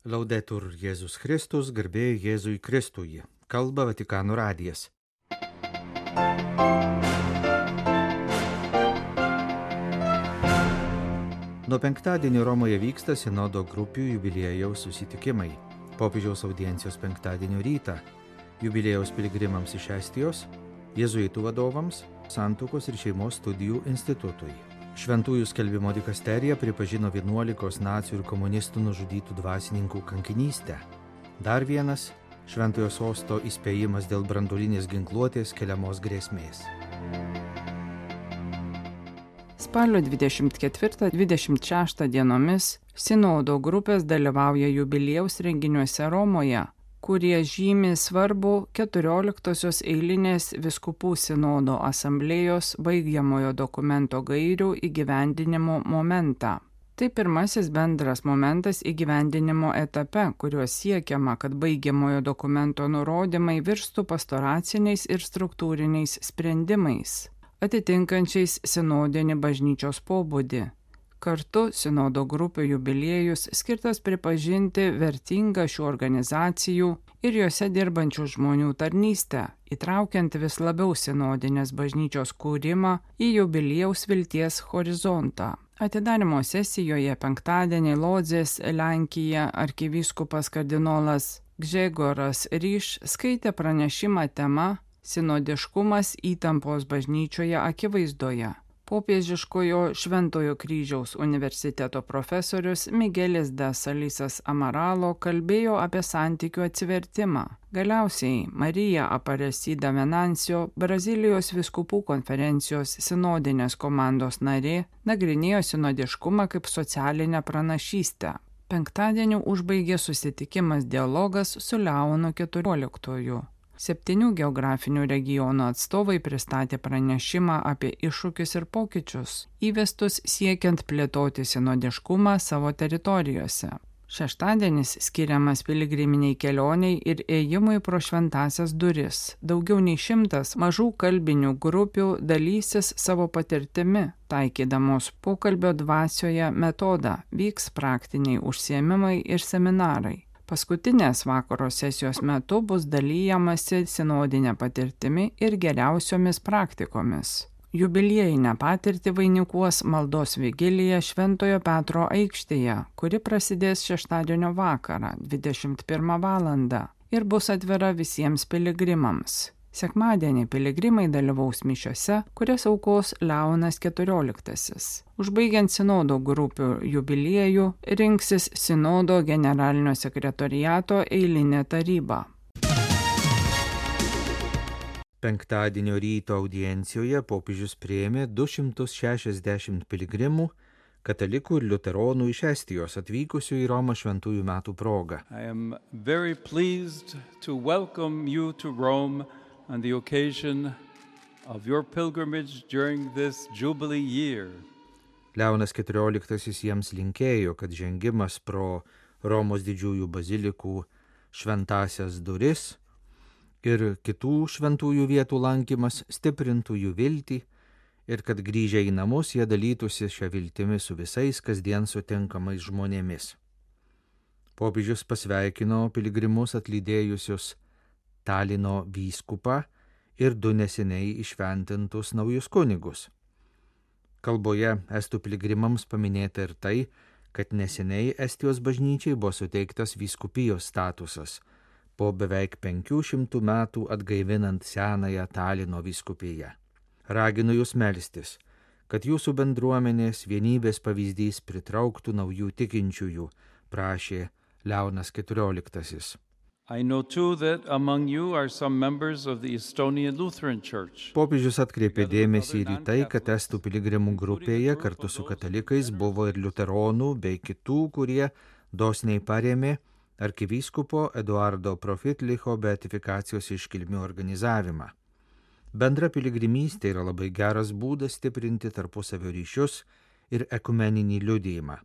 Laudetur Jėzus Kristus, garbė Jėzui Kristui. Kalba Vatikano radijas. Nuo penktadienio Romoje vyksta sinodo grupių jubiliejaus susitikimai. Popiežiaus audiencijos penktadienio rytą. Jubiliejaus piligrimams iš Estijos, jėzuitų vadovams, Santuokos ir šeimos studijų institutui. Šventųjų skelbimo dikasterija pripažino 11 nacių ir komunistų nužudytų dvasininkų kankinystę. Dar vienas Šventojo sosto įspėjimas dėl branduolinės ginkluotės keliamos grėsmės. Spalio 24-26 dienomis sinodo grupės dalyvauja jubiliejaus renginiuose Romoje, kurie žymi svarbų 14-osios eilinės vyskupų sinodo asamblėjos baigiamojo dokumento gairių įgyvendinimo momentą. Tai pirmasis bendras momentas įgyvendinimo etape, kuriuo siekiama, kad baigiamojo dokumento nurodymai virstų pastoraciniais ir struktūriniais sprendimais, atitinkančiais sinodinį bažnyčios pobūdį. Kartu sinodo grupių jubiliejus skirtas pripažinti vertingą šių organizacijų ir juose dirbančių žmonių tarnystę, įtraukiant vis labiau sinodinės bažnyčios kūrimą į jubiliejaus vilties horizontą. Atidarymo sesijoje penktadienį Lodzės, Lenkija arkivyskupas kardinolas Gžegoras Ryš skaitė pranešimą tema Sinodiškumas įtampos bažnyčioje akivaizdoje. Popiežiškojo Šventojo kryžiaus universiteto profesorius Miguelis de Salisas Amaralo kalbėjo apie santykių atsivertimą. Galiausiai Marija Aparecida Venancio, Brazilijos vyskupų konferencijos sinodinės komandos narė, nagrinėjo sinodiškumą kaip socialinę pranašystę. Penktadienį užbaigė susitikimas dialogas su Leonu XIV. 7 geografinių regionų atstovai pristatė pranešimą apie iššūkius ir pokyčius, įvestus siekiant plėtoti sinodiškumą savo teritorijose. Šeštadienis skiriamas piligriminiai kelioniai ir ėjimui pro šventąsias duris. Daugiau nei 100 mažų kalbinių grupių dalysis savo patirtimi, taikydamos pokalbio dvasioje metodą, vyks praktiniai užsiėmimai ir seminarai. Paskutinės vakaro sesijos metu bus dalyjamasi sinodinė patirtimi ir geriausiomis praktikomis. Jubiliejinę patirtį vainikuos maldos vigilija Šventojo Petro aikštėje, kuri prasidės šeštadienio vakarą 21 valandą ir bus atvira visiems piligrimams. Sekmadienį piligrimai dalyvaus mišiose, kurias aukos Leonas XIV. Užbaigiant sinodo grupių jubiliejų, rinksis sinodo generalinio sekretoriato eilinė taryba. Penktadienio ryto audiencijoje popiežius priėmė 260 piligrimų, katalikų ir liuteronų iš Estijos atvykusių į Romą šventųjų metų proga. I am very pleased to welcome you to Rome on the occasion of your pilgrimage during this jubilee year. Leonas XIV jiems linkėjo, kad žengimas pro Romos didžiųjų bazilikų šventąsias duris ir kitų šventųjų vietų lankymas stiprintų jų viltį ir kad grįžę į namus jie dalytųsi šią viltimį su visais kasdien sutinkamais žmonėmis. Popiežius pasveikino piligrimus atlydėjusius Talino vyskupą ir 2 neseniai įšventintus naujus kunigus. Kalboje estų piligrimams paminėta ir tai, kad neseniai Estijos bažnyčiai buvo suteiktas vyskupijos statusas, po beveik 500 metų atgaivinant senąją Talino vyskupiją. Raginu jūs melstis, kad jūsų bendruomenės vienybės pavyzdys pritrauktų naujų tikinčiųjų, prašė Leonas XIV. I know too that among you are some members of the Estonian Lutheran Church. Popiežius atkreipė dėmesį ir į tai, kad estų piligrimų grupėje kartu su katalikais buvo ir liuteronų bei kitų, kurie dosniai parėmė arkivyskupo Eduardo Profitlicho beatifikacijos iškilmių organizavimą. Bendra piligrimystė yra labai geras būdas stiprinti tarpusavio ryšius ir ekumeninį liudijimą.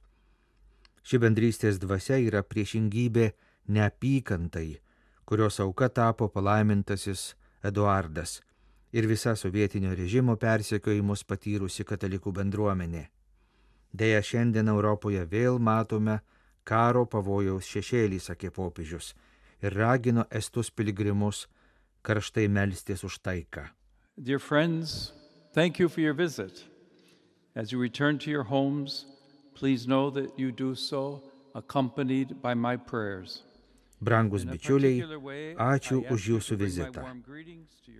Ši bendrystės dvasia yra priešingybė neapykantai, kurios auka tapo palaimintasis Eduardas ir visa sovietinio režimo persekiojimus patyrusi katalikų bendruomenė. Deja, šiandien Europoje vėl matome, karo pavojaus šešėlį, sakė popiežius, ir ragino estus piligrimus karštai melstis už taiką. Dear friends, thank you for your visit. As you return to your homes, please know that you do so accompanied by my prayers. Brangus bičiuliai, ačiū už jūsų vizitą.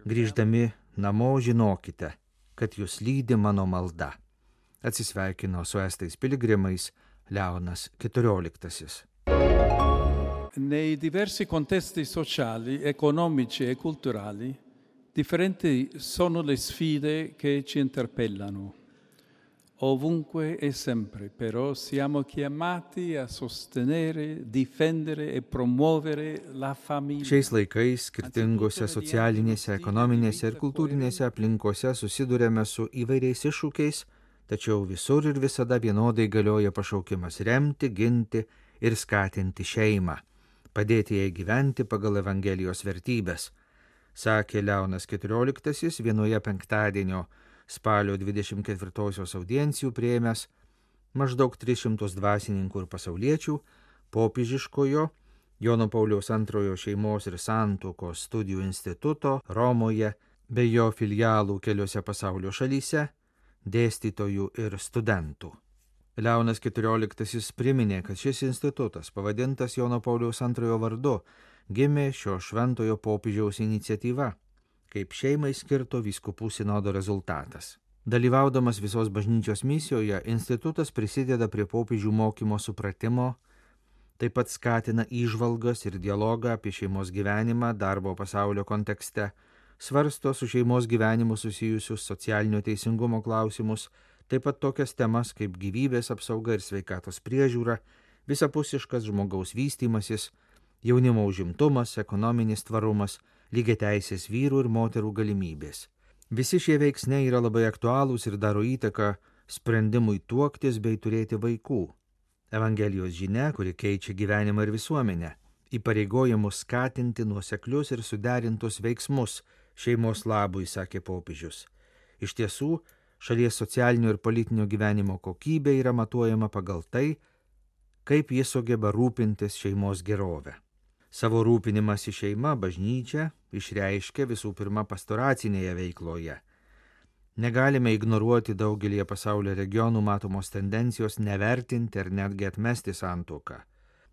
Grįždami namo žinokite, kad jūs lydi mano malda. Atsisveikino su estais piligrimais Leonas XIV. Nei diversi contesti sociali, economici e culturali, differenti sono le sfide che ci interpellano. Ovunque e sempre, però, siamo chiamati a sostenere, difendere e promuovere la famiglia. Šiais laikais skirtingose socialinėse, ekonominėse ir kultūrinėse aplinkose susidurėme su įvairiais iššūkiais, tačiau visur ir visada vienodai galioja pašaukimas remti, ginti ir skatinti šeimą, padėti jai gyventi pagal Evangelijos vertybės, sakė Leonas XIV vienoje penktadienio spalio 24-osios audiencijų priėmęs maždaug 300 dvasininkų ir pasauliečių popiežiškojo Jono Pauliaus II šeimos ir santuokos studijų instituto Romoje bei jo filialų keliose pasaulio šalyse dėstytojų ir studentų. Leonas XIV priminė, kad šis institutas, pavadintas Jono Pauliaus II vardu, gimė šio šventojo popiežiaus iniciatyva, kaip šeimai skirto vyskupų sinodo rezultatas. Dalyvaudamas visos bažnyčios misijoje, institutas prisideda prie popiežių mokymo supratimo, taip pat skatina įžvalgas ir dialogą apie šeimos gyvenimą darbo pasaulio kontekste, svarsto su šeimos gyvenimu susijusius socialinio teisingumo klausimus, taip pat tokias temas kaip gyvybės apsauga ir sveikatos priežiūra, visapusiškas žmogaus vystymasis, jaunimo užimtumas, ekonominis tvarumas, lygiateisės vyrų ir moterų galimybės. Visi šie veiksniai yra labai aktualūs ir daro įtaką sprendimui tuoktis bei turėti vaikų. Evangelijos žinia, kuri keičia gyvenimą ir visuomenę, įpareigoja mus skatinti nuoseklius ir suderintus veiksmus šeimos labui, sakė popiežius. Iš tiesų, šalies socialinio ir politinio gyvenimo kokybė yra matuojama pagal tai, kaip jis sugeba rūpintis šeimos gerove. Savo rūpinimąsi šeima bažnyčia išreiškia visų pirma pastoracinėje veikloje. Negalime ignoruoti daugelį pasaulio regionų matomos tendencijos nevertinti ar netgi atmesti santuoką.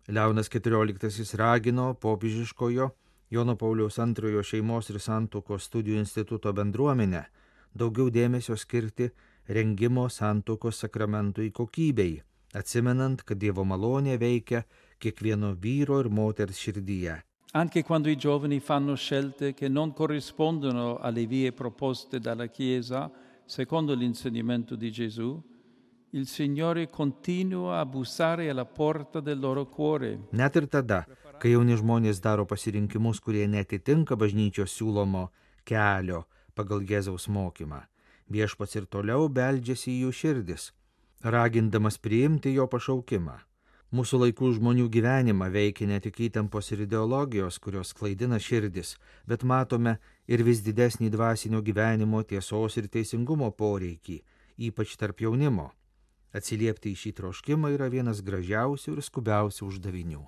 Leonas XIV ragino popiežiškojo Jono Pauliaus II šeimos ir santuokos studijų instituto bendruomenę daugiau dėmesio skirti rengimo santuokos sakramentui kokybei, atsimenant, kad Dievo malonė veikia kiekvieno vyro ir moters širdyje. Anche quando i giovani fanno scelte che non corrispondono alle vie proposte dalla Chiesa, secondo l'insegnamento di Gesù, il Signore continua a bussare alla porta del loro cuore. Net ir tada, kai jauni žmonės daro pasirinkimus, kurie netitinka bažnyčios siūlomo kelio pagal Jėzaus mokymą, viešpats ir toliau beldžiasi į jų širdis, ragindamas priimti jo pašaukimą. Mūsų laikų žmonių gyvenimą veikia ne tik įtampos ir ideologijos, kurios klaidina širdis, bet matome ir vis didesnį dvasinio gyvenimo tiesos ir teisingumo poreikį, ypač tarp jaunimo. Atsiliepti į šį troškimą yra vienas gražiausių ir skubiausių uždavinių.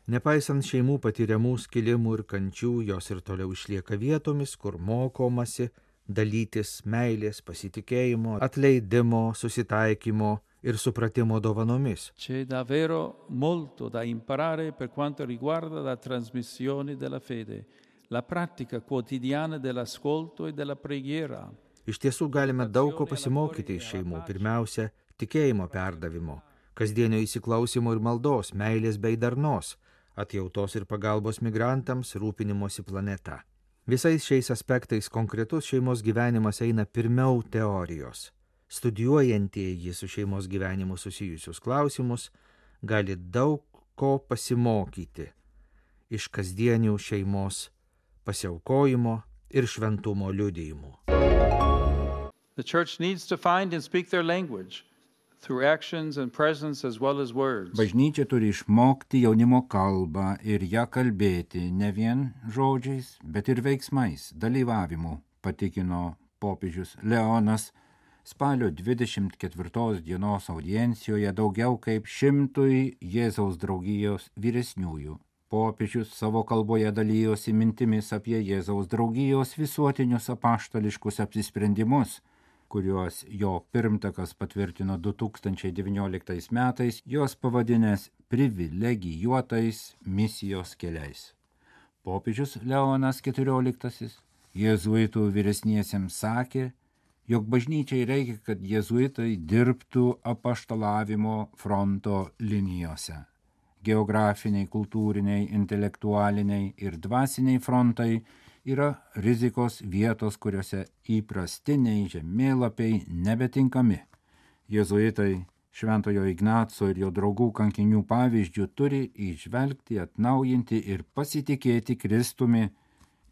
Nepaisant šeimų patiriamų skilimų ir kančių, jos ir toliau išlieka vietomis, kur mokomasi dalytis meilės, pasitikėjimo, atleidimo, susitaikymo ir supratimo dovanomis. C'è davvero molto da imparare per quanto riguarda la trasmissione della fede, la pratica quotidiana dell'ascolto e della preghiera. Iš tiesų galime daug ko pasimokyti iš šeimų. Pirmiausia, tikėjimo perdavimo, kasdienio įsiklausimo ir maldos, meilės bei darnos, atjautos ir pagalbos migrantams, rūpinimosi planeta. Visais šiais aspektais konkretus šeimos gyvenimas eina pirmiau teorijos. Studijuojantieji su šeimos gyvenimu susijusius klausimus gali daug ko pasimokyti iš kasdienių šeimos pasiaukojimo ir šventumo liudijimų. The church needs to find and speak their language through actions and presence as well as words. Bažnyčia turi išmokti jaunimo kalbą ir ją kalbėti ne vien žodžiais, bet ir veiksmais, dalyvavimu, patikino popiežius Leonas spalio 24 dienos audiencijoje daugiau kaip 100 Jėzaus draugijos vyresniųjų. Popiežius savo kalboje dalyjosi mintimis apie Jėzaus draugijos visuotinius apaštališkus apsisprendimus, kuriuos jo pirmtakas patvirtino 2019 metais, jos pavadinęs privilegijuotais misijos keliais. Popiežius Leonas XIV jėzuitų vyresniesiems sakė, jog bažnyčiai reikia, kad jėzuitai dirbtų apaštalavimo fronto linijose. Geografiniai, kultūriniai, intelektualiniai ir dvasiniai frontai yra rizikos vietos, kuriuose įprastiniai žemėlapiai nebetinkami. Jėzuitai Šventojo Ignaco ir jo draugų kankinių pavyzdžių turi įžvelgti, atnaujinti ir pasitikėti Kristumi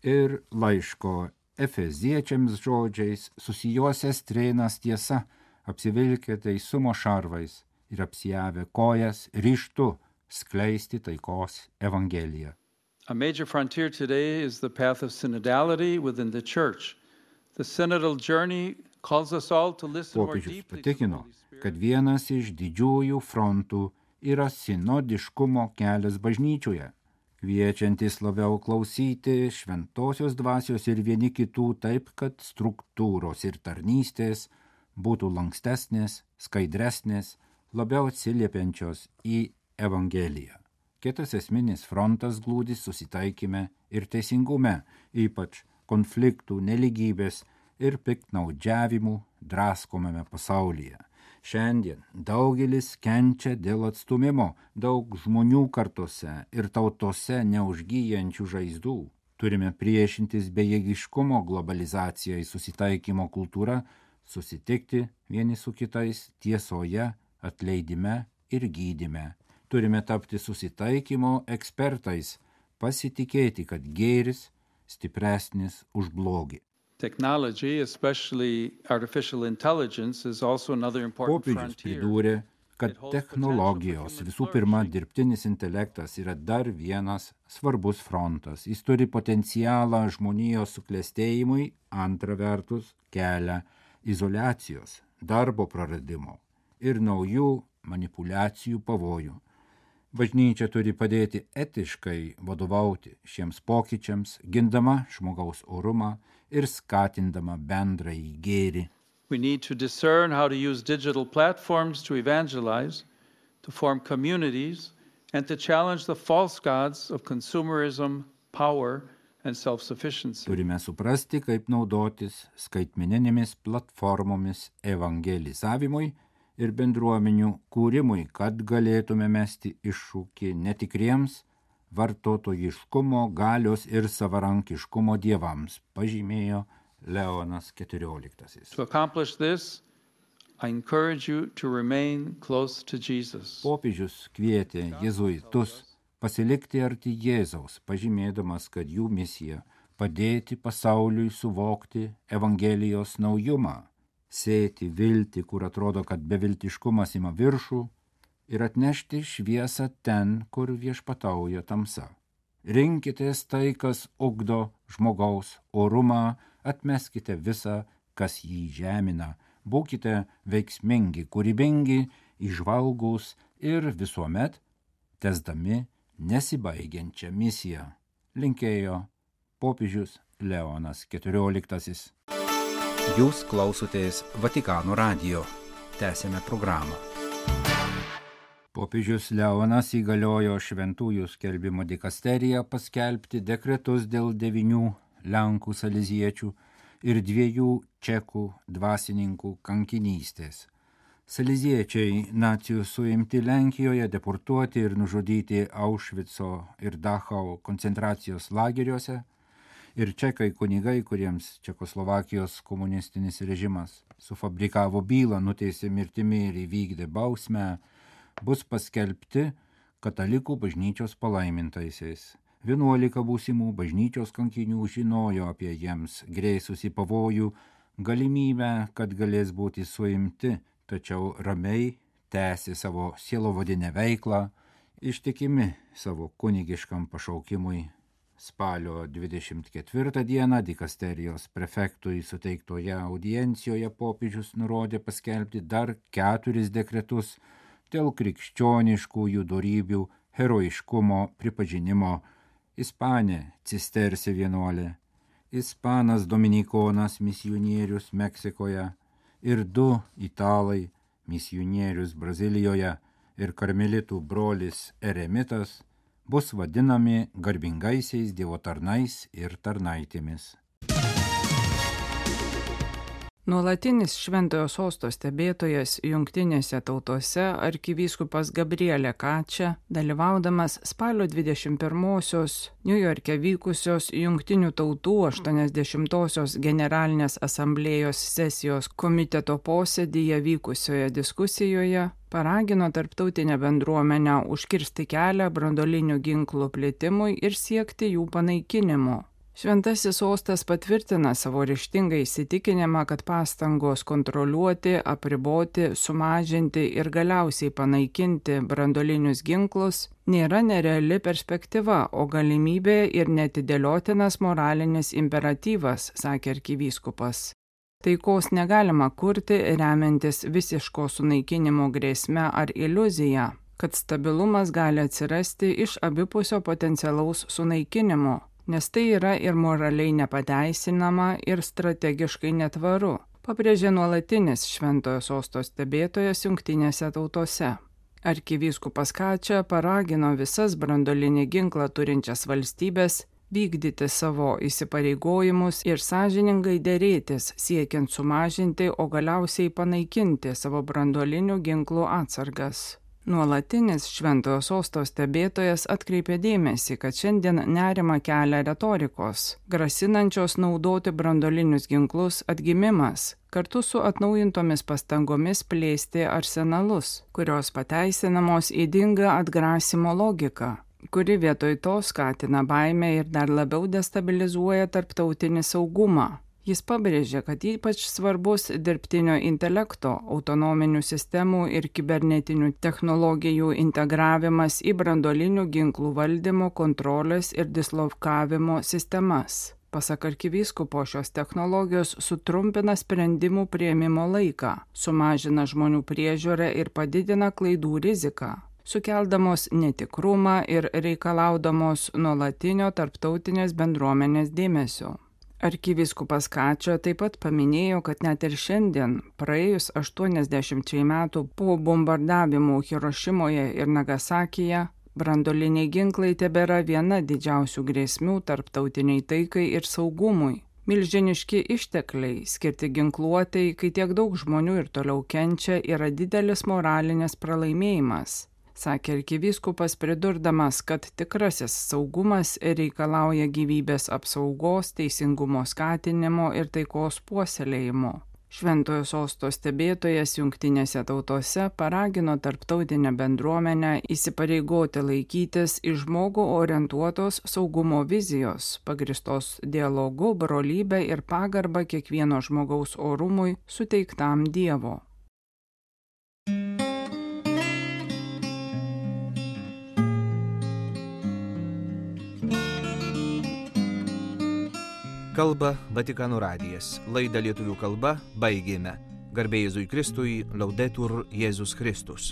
ir laiško Efeziečiams žodžiais susijuosęs trėnas tiesa, apsivilkę teisumo šarvais ir apsijavę kojas ryžtu skleisti taikos evangeliją. A major frontier today is the path of synodality within the church. The synodal journey calls us all to listen more Popiežius deeply to the patikino, Holy Spirit. kad vienas iš didžiųjų frontų yra sinodiškumo kelias bažnyčioje, kviečiantis labiau klausyti šventosios dvasios ir vieni kitų taip, kad struktūros ir tarnystės būtų lankstesnės, skaidresnės, labiau atsiliepiančios į Evangeliją. Kitas esminis frontas glūdi susitaikyme ir teisingume, ypač konfliktų, neligybės ir piktnaudžiavimų draskomame pasaulyje. Šiandien daugelis kenčia dėl atstumimo, daug žmonių kartose ir tautose neužgyjančių žaizdų. Turime priešintis bejėgiškumo globalizacijai susitaikymo kultūra, susitikti vieni su kitais tiesoje, atleidime ir gydyme. Turime tapti susitaikymo ekspertais, pasitikėti, kad gėris stipresnis už blogį. Technology, especially artificial intelligence, is also another important Popiežius frontier. pridūrė, kad technologijos, visų pirma, dirbtinis intelektas yra dar vienas svarbus frontas. Jis turi potencialą žmonijos suklestėjimui, antra vertus kelia izoliacijos, darbo praradimo ir naujų manipulacijų pavojų. Bažnyčia turi padėti etiškai vadovauti šiems pokyčiams, gindama žmogaus orumą ir skatindama bendrąjį gėrį. We need to discern how to use digital platforms to evangelize, to form communities, and to challenge the false gods of consumerism, power, and self-sufficiency. Turime suprasti, kaip naudotis skaitmeninėmis platformomis evangelizavimui ir bendruomenių kūrimui, kad galėtume mesti iššūkį netikriems vartotojiškumo, galios ir savarankiškumo dievams, pažymėjo Leonas XIV. To accomplish this, I encourage you to remain close to Jesus. Popiežius kvietė jėzuitus pasilikti arti Jėzaus, pažymėdamas, kad jų misija padėti pasauliui suvokti Evangelijos naujumą, sėti viltį, kur atrodo, kad beviltiškumas ima viršų, ir atnešti šviesą ten, kur viešpatauja tamsa. Rinkitės tai, kas ugdo žmogaus orumą, atmeskite visą, kas jį žemina, būkite veiksmingi, kūrybingi, įžvalgūs ir visuomet tęsdami nesibaigiančią misiją, linkėjo popiežius Leonas XIV. Jūs klausotės Vatikano radijo. Tęsėme programą. Popiežius Leonas įgaliojo šventųjų skelbimo dikasteriją paskelbti dekretus dėl 9 Lenkų saleziečių ir 2 čekų dvasininkų kankinystės. Saleziečiai nacių suimti Lenkijoje, deportuoti ir nužudyti Aušvico ir Dachau koncentracijos lageriuose, ir čekai kunigai, kuriems Čekoslovakijos komunistinis režimas sufabrikavo bylą, nuteisė mirtimi ir įvykdė bausmę, bus paskelbti katalikų bažnyčios palaimintaisiais. 11 būsimų bažnyčios kankinių žinojo apie jiems grėsusį pavojų, galimybę, kad galės būti suimti, tačiau ramiai tęsė savo sielovadinę veiklą, ištikimi savo kunigiškam pašaukimui Spalio 24 dieną dikasterijos prefektui suteiktoje audiencijoje popiežius nurodė paskelbti dar 4 dekretus dėl krikščioniškųjų dorybių herojiškumo pripažinimo: ispanė cistersė vienuolė, ispanas dominikonas misionierius Meksikoje ir 2 italai misionierius Brazilijoje ir karmelitų brolis eremitas bus vadinami garbingaisiais Dievo tarnais ir tarnaitėmis. Nuolatinis Šventojo Sosto stebėtojas Jungtinėse tautose arkivyskupas Gabriele Kačia, dalyvaudamas spalio 21-osios Niujorke vykusios Jungtinių tautų 80-osios generalinės asamblėjos sesijos komiteto posėdyje vykusioje diskusijoje, paragino tarptautinę bendruomenę užkirsti kelią branduolinių ginklų plitimui ir siekti jų panaikinimo. Šventasis sostas patvirtina savo ryžtingą įsitikinimą, kad pastangos kontroliuoti, apriboti, sumažinti ir galiausiai panaikinti branduolinius ginklus nėra nereali perspektyva, o galimybė ir neatidėliotinas moralinis imperatyvas, sakė arkivyskupas. Taikos negalima kurti remiantis visiško sunaikinimo grėsme ar iliuzija, kad stabilumas gali atsirasti iš abipusio potencialaus sunaikinimo, nes tai yra ir moraliai nepateisinama ir strategiškai netvaru, pabrėžė nuolatinis Šventojo Sosto stebėtojas Jungtinėse tautose. Arkivyskupas Kačia paragino visas branduolinį ginklą turinčias valstybės vykdyti savo įsipareigojimus ir sąžiningai derėtis, siekiant sumažinti, o galiausiai panaikinti savo branduolinių ginklų atsargas. Nuolatinis Šventojo Sosto stebėtojas atkreipė dėmesį, kad šiandien nerimą kelia retorikos, grasinančios naudoti branduolinius ginklus atgimimas, kartu su atnaujintomis pastangomis plėsti arsenalus, kurios pateisinamos ydinga atgrasimo logika, kuri vietoj to skatina baimę ir dar labiau destabilizuoja tarptautinį saugumą. Jis pabrėžė, kad ypač svarbus dirbtinio intelekto, autonominių sistemų ir kibernetinių technologijų integravimas į branduolinių ginklų valdymo, kontrolės ir dislokavimo sistemas. Pasak arkivyskupo, šios technologijos sutrumpina sprendimų priėmimo laiką, sumažina žmonių priežiūrą ir padidina klaidų riziką, sukeldamos netikrumą ir reikalaudamos nuolatinio tarptautinės bendruomenės dėmesio. Arkivyskupas Kačia taip pat paminėjo, kad net ir šiandien, praėjus 80 metų po bombardavimų Hirošimoje ir Nagasakyje, branduoliniai ginklai tebėra viena didžiausių grėsmių tarptautiniai taikai ir saugumui. Milžiniški ištekliai skirti ginkluotei, kai tiek daug žmonių ir toliau kenčia, yra didelis moralinis pralaimėjimas, sakė arkivyskupas, pridurdamas, kad tikrasis saugumas reikalauja gyvybės apsaugos, teisingumo skatinimo ir taikos puoselėjimo. Šventojo Sosto stebėtojas Jungtinėse tautose paragino tarptautinę bendruomenę įsipareigoti laikytis į žmogų orientuotos saugumo vizijos, pagristos dialogu, brolybę ir pagarbą kiekvieno žmogaus orumui suteiktam Dievo. Kalba Vatikano radijas. Laidą lietuvių kalba baigėme. Garbė Jėzui Kristui, Laudetur Jėzus Kristus.